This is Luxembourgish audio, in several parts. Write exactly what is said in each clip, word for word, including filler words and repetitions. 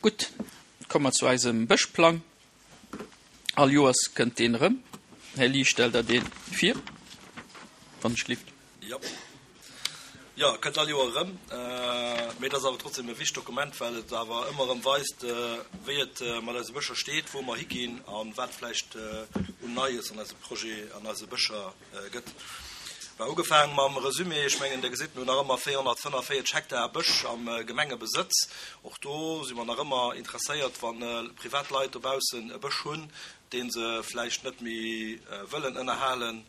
Gutt, komme mer zu eisem Bëschplang. All Joers kënnt deen erëm. Här Lie, stellt Der dee vir, wann ech gelift? Jo. Jo, e kënnt all Joer erëm. Mee et ass awer trotzdem e wichtegt Dokument, well et awer ëmmer erëm weist, wéi et mat eise Bëscher steet, wou mer higinn a wat vläicht un Neies an eise Projet, an eise Bëscher gëtt. Bah, ugefaang mam Resumé, ech mengen, Der gesitt, mir hunn nach ëmmer véierhonnertfënnefvéierzeg Hektar Bësch am Gemengebesëtz. Och do si mer nach ëmmer interesséiert, wa privat Leit dobaussen e Bësch hunn, dee se vläicht net méi wëllen ënnerhalen,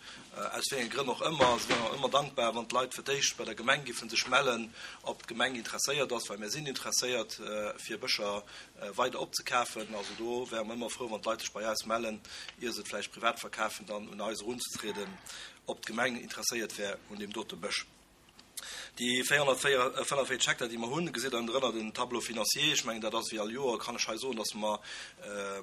aus wéi enge Grënn och ëmmer. Se wären och ëmmer dankbar, wann d'Leit fir d'éischt bei der Gemeng giffen sech mellen, ob d'Gemeng interesséiert ass, well mir sinn interesséiert, fir Bëscher weider opzekafen. Also do wäre mer ëmmer frou, wann d'Leit sech bei eis mellen, ier se et vläicht privat verkafen, dann un eis erunzetrieden, ob d'Gemeng interesséiert wär un deem dote Bësch. Déi véierhonnertfënnefvéierzeg Hektar, déi mer hunn, gesitt Der ënnendrënner den Tableau financier. Ech mengen, dat ass wéi all Joer, kann ech hei soen, dass mer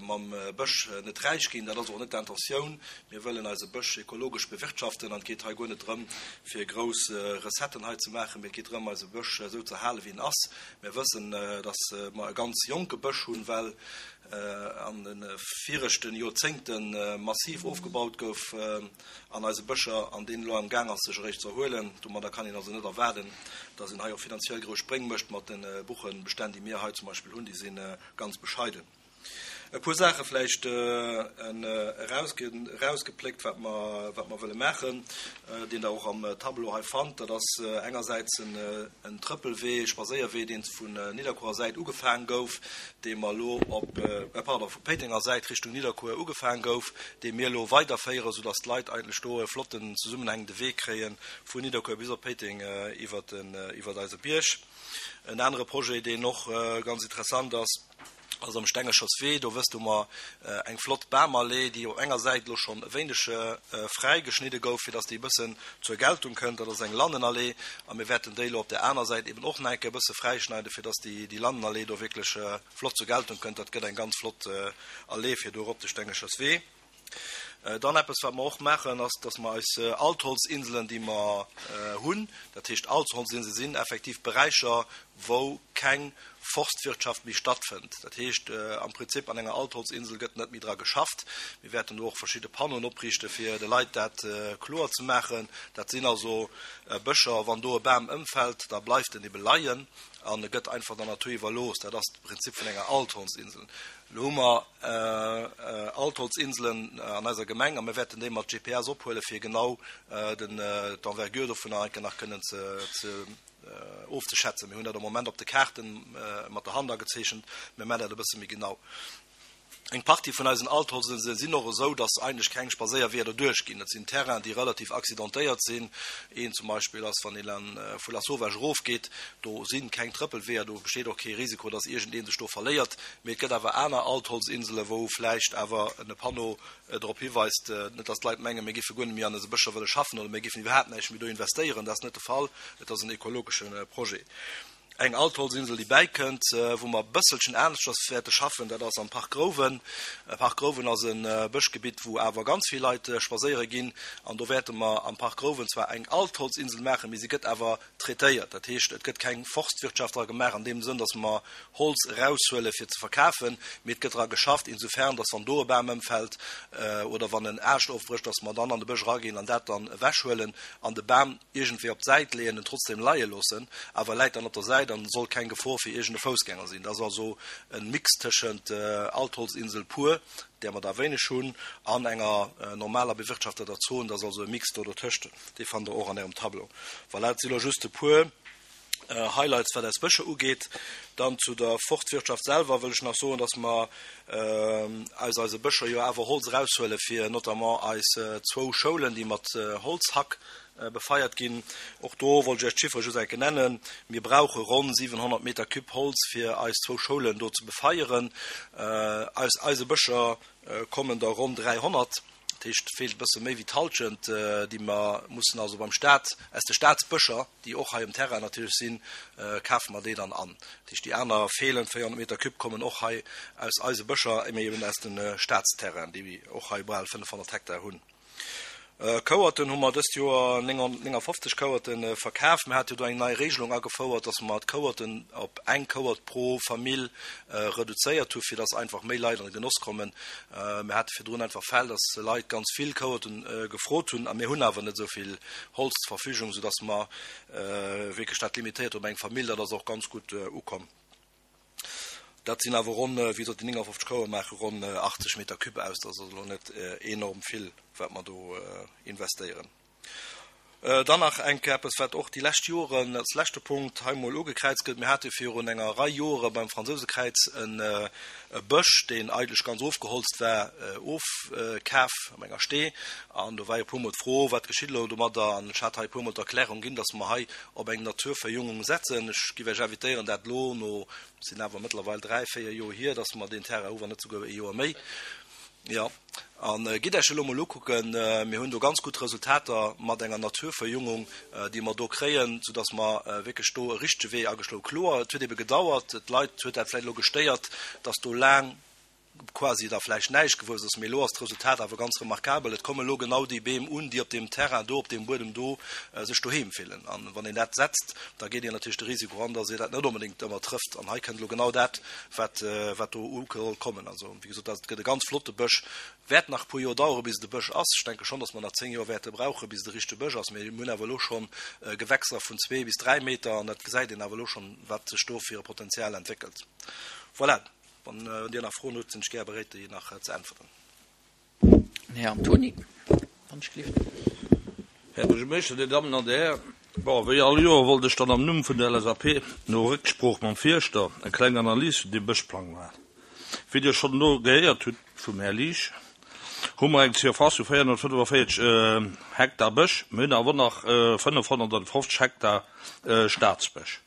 mam Bësch net räich ginn. Dat ass och net d'Intentioun. Mir wëllen eise Bësch ekologesch bewirtschaften an et geet hei guer net drëm, fir grouss Recetten hei ze maachen, mee et geet drëm, eise Bësch esou ze halen, wéi en ass. Mir wëssen, dass mer e ganz jonke Bësch hunn, well an de viregte Joerzéngte massiv ofgebaut gouf an eise Bëscher an deen elo am Gaang ass sech eréischt ze erhuelen. Domadder kann een also net erwaarden, datt een hei och finanziell grouss Spréng mécht mat de Buchenbestänn, déi mir hei zum Beispill hunn, déi si ganz bescheiden. E puer Saache vläicht erausgepléckt, wat mer, wat mer wëlle maachen, deen Der och am Tableau hei fannt. Dat ass engersäits en Trëppelwee, e Spadséierwee, deen vun Nidderkuerer Säit ugefaang gouf, dee mer elo op, pardon, vu Péitenger Säit Richtung Nidderkuer ugefaang gouf, dee mir elo weiderféieren, soudass d'Leit eigentlech do e flotten zesummenhängende Wee kréie vun Nidderkuer bis op Péiteng iwwert den, iwwert eise Bierg. En anere Projet, deen och ganz interessant ass, ass am Stengescherswee. Do wësst, hu mer eng flott Bamallee, déi op enger Säit elo schonn e wéineg fräi geschnidde gouf, fir dass déi e bëssen zur Geltung kënnt. Dat ass eng Lannenallee a mir wäerten déi elo op där aner Säit eben och nach eng Kéier e bësse fräischneiden, fir dass déi Lannenallee do wierklech flott zur Geltung kënnt. Dat gëtt eng ganz flott Allee fir do erop de Stengescherswee. Dann eppes, wat mer och maachen, ass, dass mer eis Altholzinselen, déi mer hunn, dat heescht Altholzinsele sinn effektiv Beräicher, wou keng Forstwirtschaft méi stattfënnt. Dat heescht am Prinzip, an enger Altholzinsel gëtt net méi dra geschafft. Mir wäerten do och verschidde Panneauen opriichten, fir de Leit dat kloer ze maachen. Dat sinn also Bëscher, wann do e Bam ëmfält, da bleift en ebe leien an e gëtt einfach der Natur iwwerlooss. Dat ass de Prinzip vun enger Altholzinsel. Elo hu mer Altholzinselen an eiser Gemeng a mir wäerten déi mat G P S ophuelen, fir genau d'Envergure dovunner enke nach kënnen ze ofzeschätzen. Mir hunn dat am Moment op de Kaarten mat der Hand agezeechent, mir maachen dat e bësse méi genau. Eng Partie vun eisen Altholzinselen sinn och esou, dass eigentlech keng Spadséierweeër doduerch ginn. Dat sinn Terrainen, déi relativ accidentéiert sinn. Een zum Beispill ass, wann een vu Lasauvage erofgeet, do si keng Trëppelweeër, do besteet och kee Risiko, dass iergendee sech do verléiert. Mee et gëtt awer aner Altholzinselen, wou vläicht awer e Panneau drop hiweist, net dass d'Leit mengen, mir géife guer net méi an eise Bëscher wëlle schaffen oder mir géifen iwwerhaapt näischt méi do investéieren. Dat ass net de Fall. Et ass en ekologesche Projet. Eng Altholzinsel, déi bäikënnt, wou mer e bësselchen aneschters wäerte schaffen, dat ass am Park Grouwen. Park Grouwen ass e Bëschgebitt, wou awer ganz vill Leit spadséiere ginn. An do wäerte mer am Park Grouwen zwar eng Altholzinsel maachen, mee si gëtt awer traitéiert. Dat heescht, et gëtt keng Forstwirtschaft dra gemaach an deem Sënn, datt mer Holz eraushuele fir ze verkafen, mee et gëtt dra geschafft, insofern, datt wann do e Bam ëmfält oder wann en Aascht ofbrécht, datt mer dann an de Bësch eraginn an dat dann ewechhuelen an de Bam iergendwéi op d'Säit leeën, en trotzdem leie loossen, awer e läit dann op der Säit an soll keng Gefor fir iergende Foussgänger sinn. Dat ass also e Mix tëschent Altholzinsel pur, där mer der wéineg hunn, an enger normaler bewirtschafteter Zon. Dat ass also e Mix do dotëscht. Dee fannt Der och an Ärem Tableau. Voilà, dat si lo just e puer Highlights, wat eis Bëscher ugeet. Dann zu der Forstwirtschaft selwer wëll ech nach soen, dass mer aus eise Bëscher jo awer Holz eraushuele fir notamment eis zwou Schoulen, déi mat Holzhack befeiert ginn. Och do wollt ech Iech d'Chiffere just eng Kéier nennen. Mir brauche ronn siwenhonnert Meter Cube Holz, fir eis zwou Schoulen do ze befeieren. Aus eise Bëscher kommen der ronn dräihonnert. Dat heescht, et feelt e bësse méi wéi d'Hallschent, déi mer mussen also beim Staat, aus de Staatsbëscher, déi och hei um Terrain natierlech sinn, kafe mer déi dann an. Dat heescht, déi aner feelend véierhonnert Meter Cube kommen och hei aus eise Bëscher, mee eben aus de Staatsterrainen, déi och hei bal fënnefhonnert Hektar hunn. Kouerten hu mer dëst Joer néngafofzeg Kouerten verkaf. Mir hate jo do eng nei Regelung agefouert, dass mer d'Kouerten op eng Kouert pro Famill reduzéiert hu fir dass einfach méi Leit an de Genoss kommen. Mir hate virdrun einfach Fäll, dass Leit ganz vill Kouerten gefrot hunn a mir hunn awer net esou vill Holz zur Verfügung, soudass mer wierklech dat limitéiert hu op eng Famill. Dat ass och ganz gutt ukomm. Dat sinn awer ronn, wéi gesot, déi néngafofzeg Kouer maache ronn achtzeg Meter cube aus. Dat ass also elo net enorm vill, wat mer do investéieren. Dann nach eng Kéier eppes, wat och déi lescht Joren als leschte Punkt hei emol ugekräizt gëtt. Mir hate virun enger Rei Jore beim Fransousekräiz e Bësch, deen eigentlech ganz ofgeholzt war, ofkaf op enger Stee. An do war jo e puermol d'Fro, Wat geschitt elo domadder? An ech hat hei e puermol d'Erklärung ginn, dass mer hei op eng Naturverjüngung setzen. Ech géif Iech invitéieren, dat elo no, et sinn awer mëttlerweil dräi, véier Joer hier, dass mer deen Terrain hu, wann net souguer e Joer méi. Jo, a gitt Iech elo mol ukucken, mir hunn do ganz gutt Resultater mat enger Naturverjüngung, déi mer do kréien, soudass mer wierklech do e richtege Wee ageschloe. Kloer, et huet ebe gedauert, d'Leit huet dat vläicht elo gestéiert, dass do laang quasi da vläicht näischt gewuess ass, mee elo ass d'Resultat awer ganz remarkabel. Et komme elo genau déi Beem un, déi op deem Terrain do, op deem Buedem do sech doheem fillen. A wann een dat setzt, da geet een natierlech de Risiko an, dass ee dat net onbedéngt ëmmer trëfft. An hei kënnt elo genau dat, wat, wat do u soll kommen. Also, wéi gesot, dat gëtt e ganz flotte Bësch. Wäert nach e puer Joer dauere bis et e Bësch ass. Ech denke schonn, dass mer nach zéng Joer wäerte brauchen, bis et e richtege Bësch ass. Mee mir hunn awer elo scho Gewächser vun zwee bis dräi Meter an dat gesäit een awer elo schonn, wat sech do fir e Potenzial entwéckelt. Voilà. Wann Dir nach Froen hutt, sinn ech gär beréit, déi nach ze äntwerten. Den Här Antoni, wann ech gelift. Här Buergermeeschter, Dir Dammen an Dir Hären, bon, wéi all Joer wollt ech dann am Numm vun der L S A P no Récksprooch mam Fierschter eng kleng Analys vun deem Bëschplang maachen. Wéi Dir schonn elo gehéiert hutt vum Här Liesch, hu mer eng Surface vu véierhonnertfënnefaféierzeg Hektar Bësch, mir hunn awer nach fënnefhonnertfofzeg Hektar Staatsbësch.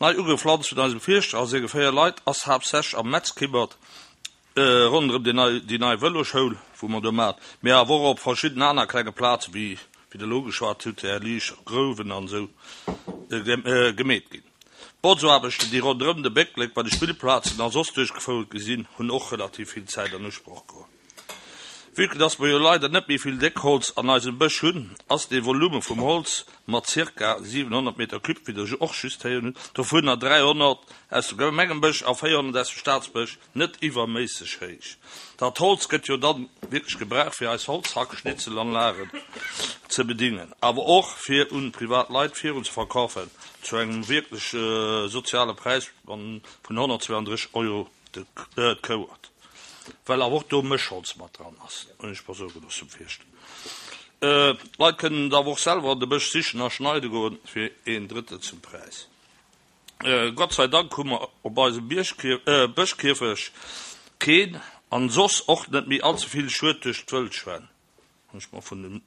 Nei ugepflanzt vun eisem Fierschter a senge véier Leit ass haaptsächlech am Metzkibbert ronderëm déi nei déi nei Vëloschoul, wou mer do maachen, mee awer och op verschidden aner klenge Plaze wéi wéi Der elo ugeschwat hutt, Här Liesch, Grouwen an esou, gemeet ginn. D'Botzaarbechten, déi ronderëm de Bécklek bei de Spillplazen a soss duerchgefouert gi sinn, hunn och relativ vill Zäit an Usproch geholl. Vue que dass mer jo leider net méi vill Déckholz an eisem Bësch hunn, ass dee Volume vum Holz mat zirka siwenhonnert Meter cube, wéi Der och just héieren hutt, dovunner dräihonnert aus dem Gemengebësch a véierhonnert aus dem Staatsbësch, net iwwerméisseg héich. Dat Holz gëtt jo dann wierklech gebraucht, fir eis Holzhackschnitzelanlagen ze bedingen, awer och fir un privat Leit virun ze verkafen zu engem wierklech soziale Präis vun honnertzweiandrësseg Euro d'Kouert. Well awer och do Mëschholz mat dran ass, hunn ech mer soe gelooss vum Fierschter. D'Leit kënnen et awer och selwer an de Bësch sichen a schneide goen, fir een Drëttel zum Präis. Gott sei Dank hu mer op eisem Bëschkierfecht keen an soss och net méi allze vill Schued duerch d'Wëllschwäin, hunn ech mer vun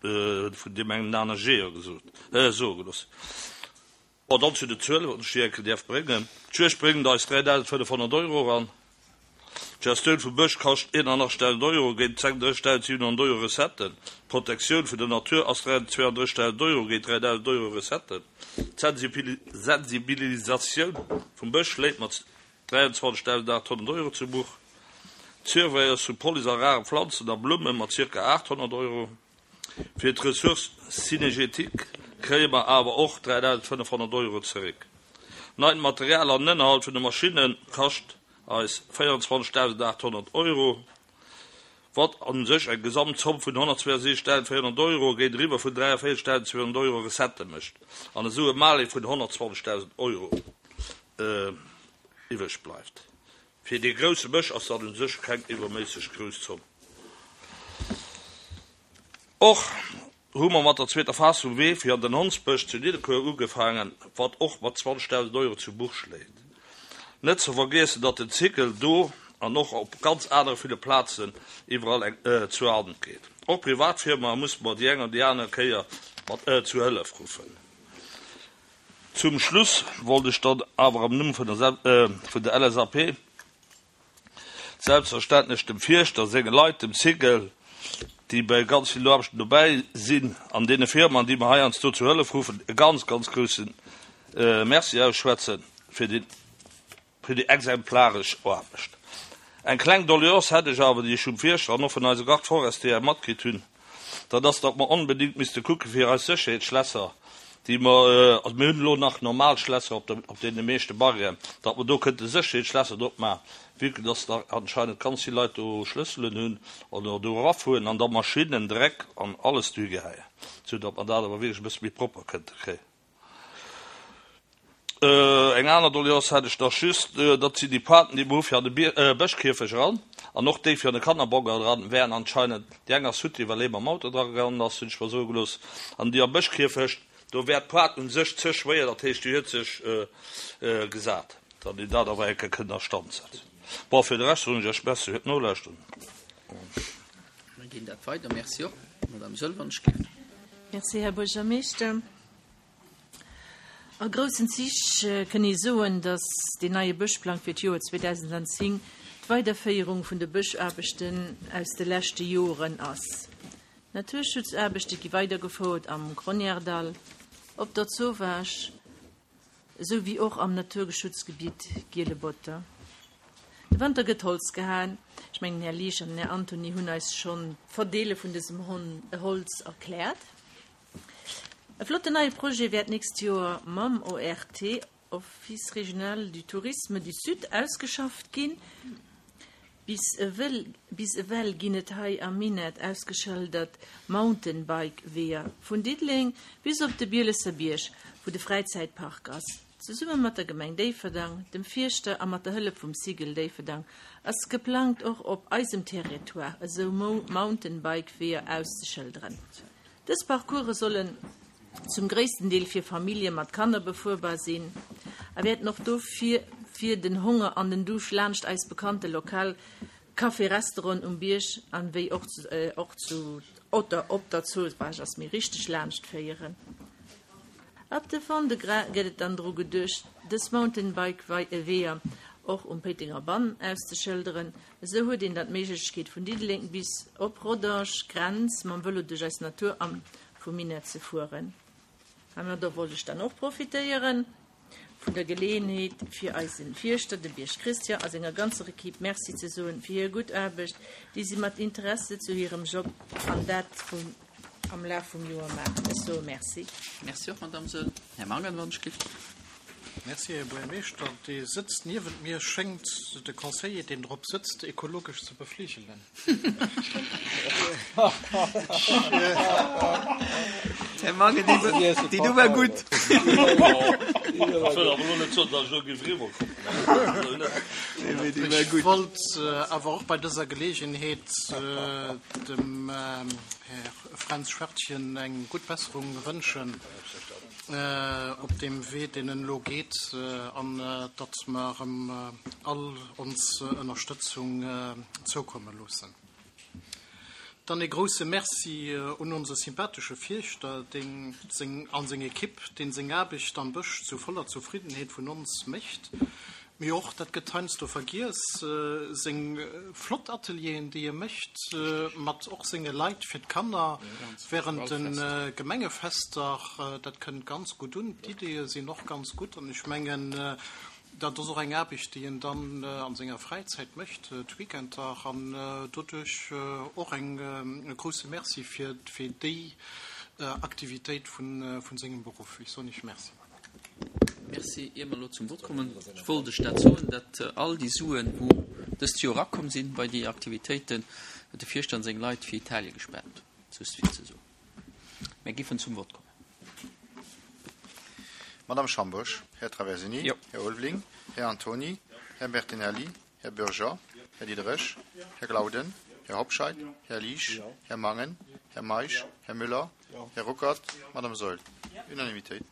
deem engen aner Jeeër soe gelooss. Bon, dann zu de Zuelen, wann ech déi eng Kéier däerf bréngen. D'Juegd bréngt eis dräidausendfënnefhonnert Euro eran. D'Gestioun vum Bësch kascht eenanachtzegdausend Euro géint sechsunddrëssegdausendsiwenhonnert Euro Recetten. D'Protektioun vun der Natur ass zweiandrëssegdausend Euro géint dräidausend Euro Recetten. D'Sensibilisatioun vum Bësch schléit mat dräianzwanzegdausendaathonnert Euro zu Buch. D'Surveillance vu Police a rare Planzen a Blumme mat zirka aathonnert Euro. Fir d'Ressource cynégétique kréie mer awer och dräidausendfënnefhonnert Euro zeréck. Neit Material an Ënnerhalt vun de Maschinne kascht eis véierundzwanzegdausendaathonnert Euro, wat a sech eng Gesamtzomm vun honnertzweiasiwwenzegdausendvéierhonnert Euro géintiwwer vun dräiavéierzegdausendzweehonnert Euro Recettë mécht an esou e Malus vun honnertzwanzegdausend Euro iwwreg bleift. Fir dee grousse Bësch ass dat u sech keng iwwerméisseg grouss Zomm. Och hu mer mat der zweeter Phas vum Wee fir an den Hondsbësch zu Nidderkuer ugefaangen, wat och mat zwanzegdausend Euro zu Buch schléit. Net ze vergiessen, datt den Cycle do an och op ganz anere ville Plazen iwwerall eng zur Hand geet. Och Privatfirmae musse mer déi eng an déi aner Kéier mat zu Hëllef ruffen. Zum Schluss wollt ech dann awer am Numm vun der L S A P selbstverständlech dem Fierschter, senge Leit, dem Cycle, déi bei ganz vill Aarbechten dobäi sinn, an deene Firmaen, déi mer heiansdo zu Hëllef ruffen, e ganz, ganz grousse Merci ausschwätzen fir déi fir déi exemplaresch Aarbecht. Eng kleng Doleance hätt ech awer, déi ech vum Fierschter an och vun eise Garde forestier matkritt hunn, Dat ass, datt mer onbedéngt misste kucke fir eis Sécherheetsschlässer, déi mer, also mir hunn elo nach normal Schlässer op de, op deene meeschte Barrièren, datt mer do kënnte Sécherheetsschlässer drop maachen, vue que datt da anscheinend ganz vill Leit do Schlësselen hunn oder do erafueren an da Maschinnen, Dreck an alles do higeheien, sou datt mer dat awer wierklech e bësse méi propper kënnte kréien. Eng aner Doleance hätt ech nach just, dat sinn déi Pointen, déi mer hu fir an de Bëschkierfech eran an och déi fir an de Kannerbongert eran, wären anscheinend, déi eng ass futti, well ee mam Auto dra gaangen ass, hunn ech mer soe gelooss, an déi am Bëschkierfecht, do wär d'Pointe un sech ze schwéier, dat heescht, déi huet sech gesat, datt een dat awer eng Kéier kënnt a Stand setzen. Bon, fir de Rescht soen ech Iech Merci fir d'Nolauschteren. Mir ginn dat weider. Merci och. Madame Söll, wann ech géif. Merci, Här Buergermeeschter. A groussen Zich kënn ee soen, datt deen neie Bëschplang fir d'Joer zweedausendzéng d'Weiderféierung vun de Bëschaarbechten aus de leschte Joren ass. Naturschutzaarbechte gi weidergefouert am Gronièredall, op der Zowaasch esou wéi och am Naturgeschutzgebitt Giele Botter. De Wanter gëtt Holz gehaen. Ech mengen, den Här Liesch an den Här Antony hunn eis schonn d'Verdeele vun dësem Holz erkläert. E flotten neie Projet wäert d'nächst Joer mam O R T, Office Régional du Tourisme du Sud, ausgeschafft ginn. Bis ewell bis ewell ginn et hei am Minett ausgeschëldert Mountainbike-Weeër vun Diddeleng bis op de Bielesser Bierg, wou de Fräizäitpark ass. Zesumme mat der Gemeng Déifferdang, dem Fierschter a mat der Hëllef vum Cigl Déifferdang ass geplangt och op eisem Territoire esou Mountainbike-Weeër auszeschëlderen. Dës Parcourse sollen zum gréissten Deel fir Famillje mat Kanner befuerbar sinn a wäerten och dofir fir den Honger an den Duuscht laanscht eis bekannte lokal Café-Restauranten um Bierg an wéi och och zu oder op der Zowaasch ass méi richteg laanscht féieren. Ab de Fond-de-Gras gëtt et dann dru geduecht, dës Mountainbike-Weeër och um Péitenger Bann auszeschëlderen. Esou huet een dann d'Méiglechkeet vun Diddeleng bis op Rodange Grenz mam Vëlo duerch eis Natur am vum Minett ze fueren. Heimadder wollt ech dann och profitéieren vun der Geleeënheet fir eisen Fierschter, de Bierg Christian a senger ganzer Equipe Merci ze soen fir hir gutt Aarbecht, déi si mat Interesse zu hirem Job an dat vum am Laf vum Joer maachen. Ech soe Merci. Merci och, Madame Söll. Här Mangen, wann ech giff. Merci, Här Buergermeeschter. Dee sëtzt niewent mir, schéngt de Conseiller, deen drop sëtzt, ekologesch ze befligelen. Här Mangen, déi do war gutt. Ech wëll awer elo net soen, datt ech elo géif eriwwerkommen. Ech wollt awer och bei dëser Geleegenheet dem Här Fränz Schwertchen eng gutt Besserung wënschen op deem Wee, deen en elo geet, an datt mer em all ons Ënnerstëtzung zoukomme loossen. Dann ee grousse Merci un onse sympathesche Fierschter, deen seng an seng Ekipp, deen seng Aarbecht am Bësch zu voller Zufriddenheet vun ons mécht, mee och, dat gëtt heiansdo vergiess, seng flott Atelieren, déi e mécht mat och senge Leit fir d'Kanner während de Gemengefester. Dat kënnt ganz gutt un, d'Ideeë sinn och ganz gutt an ech mengen, dat ass och eng Aarbecht, déi en dann a senger Fräizäit mécht, d'Weekender, an doduerch och eng e grousse Merci fir fir déi Aktivitéit vun vun sengem Beruff. Ech soen Iech Merci. Merci. Ier mer elo zum Vott kommen, wollt ech dat soen, datt all déi Suen, wou dëst Joer erakomm sinn bei déi Aktivitéiten, huet de Fierschter an seng Leit fir Italie gespent. Just fir ze soen. Mir giffen zum Vott kommen. Madame Schambosch, Här Traversini, Jo. Här Ulveling, Här Antony, Här Bertinelli, Här Bürger, Här Diderich, Här Glauden, Här Hobscheit, Här Liesch, Här Mangen, Här Meisch, Här Müller, Här Ruckert, Madame Saeul. Unanimitéit.